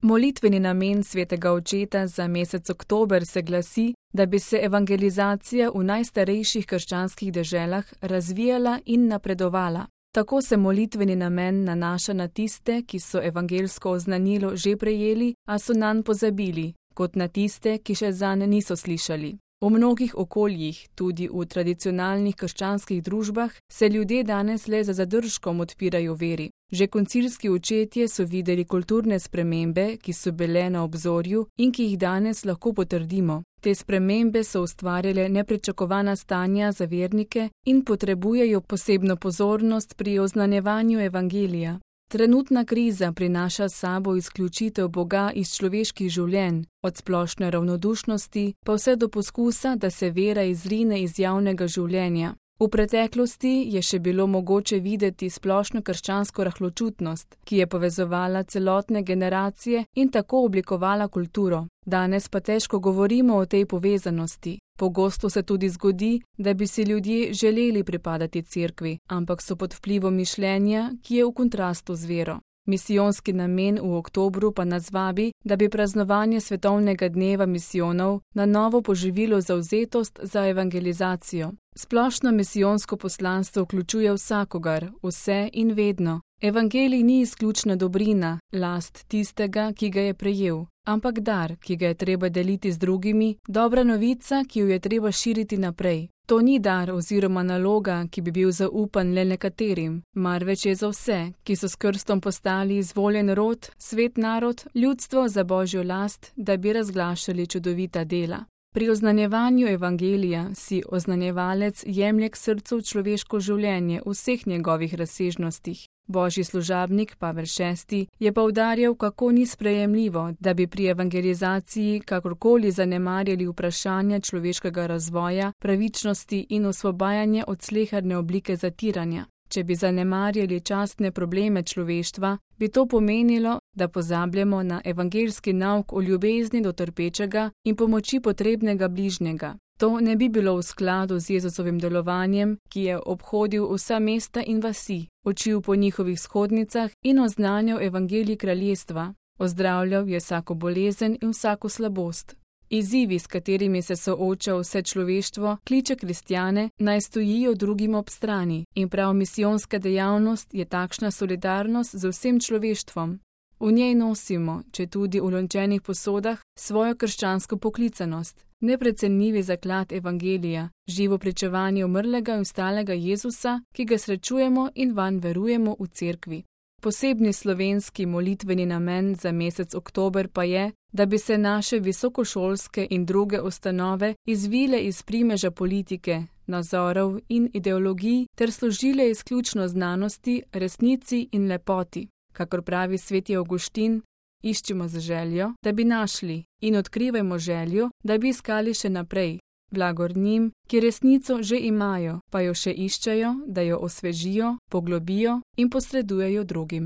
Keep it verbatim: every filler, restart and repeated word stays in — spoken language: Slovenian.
Molitveni namen svetega očeta za mesec oktober se glasi, da bi se evangelizacija v najstarejših krščanskih deželah razvijala in napredovala. Tako se molitveni namen nanaša na tiste, ki so evangelsko oznanilo že prejeli, a so nanj pozabili, kot na tiste, ki še zanj niso slišali. V mnogih okoljih, tudi v tradicionalnih krščanskih družbah, se ljudje danes le za zadržkom odpirajo veri. Že koncilski očetje so videli kulturne spremembe, ki so bile na obzorju in ki jih danes lahko potrdimo. Te spremembe so ustvarjale nepričakovana stanja za vernike in potrebujejo posebno pozornost pri oznanjevanju evangelija. Trenutna kriza prinaša s sabo izključitev Boga iz človeških življenj, od splošne ravnodušnosti pa vse do poskusa, da se vera izrine iz javnega življenja. V preteklosti je še bilo mogoče videti splošno krščansko rahločutnost, ki je povezovala celotne generacije in tako oblikovala kulturo. Danes pa težko govorimo o tej povezanosti. Pogosto se tudi zgodi, da bi si ljudje želeli pripadati cerkvi, ampak so pod vplivom mišljenja, ki je v kontrastu z vero. Misijonski namen v oktobru pa nas vabi, da bi praznovanje svetovnega dneva misijonov na novo poživilo zavzetost za evangelizacijo. Splošno misijonsko poslanstvo vključuje vsakogar, vse in vedno. Evangelij ni izključna dobrina, last tistega, ki ga je prejel, ampak dar, ki ga je treba deliti z drugimi, dobra novica, ki jo je treba širiti naprej. To ni dar oziroma naloga, ki bi bil zaupan le nekaterim, marveč je za vse, ki so s krstom postali izvoljen rod, svet narod, ljudstvo za Božjo last, da bi razglašali čudovita dela. Pri oznanjevanju evangelija si oznanjevalec jemlje k srcu človeško življenje v vseh njegovih razsežnostih. Božji služabnik Pavel šesti je poudarjal, kako ni sprejemljivo, da bi pri evangelizaciji kakorkoli zanemarjali vprašanja človeškega razvoja, pravičnosti in osvobajanja od sleherne oblike zatiranja. Če bi zanemarjali častne probleme človeštva, bi to pomenilo, da pozabljamo na evangeljski nauk o ljubezni do trpečega in pomoči potrebnega bližnjega. To ne bi bilo v skladu z Jezusovim delovanjem, ki je obhodil vsa mesta in vasi, učil po njihovih shodnicah in oznanjal evangelij kraljestva. Ozdravljal je vsako bolezen in vsako slabost. Izzivi, s katerimi se sooča vse človeštvo, kliče kristjane, naj stojijo drugim ob strani, in prav misijonska dejavnost je takšna solidarnost z vsem človeštvom. V njej nosimo, če tudi v lončenih posodah, svojo krščansko poklicanost, neprecenljivi zaklad evangelija, živo pričevanje umrlega in vstalega Jezusa, ki ga srečujemo in vanj verujemo v cerkvi. Posebni slovenski molitveni namen za mesec oktober pa je, da bi se naše visokošolske in druge ustanove izvile iz primeža politike, nazorov in ideologij ter služile izključno znanosti, resnici in lepoti. Kakor pravi sveti Avguštin, iščimo z željo, da bi našli, in odkrivajmo željo, da bi iskali še naprej. Blagor njim, ki resnico že imajo, pa jo še iščejo, da jo osvežijo, poglobijo in posredujejo drugim.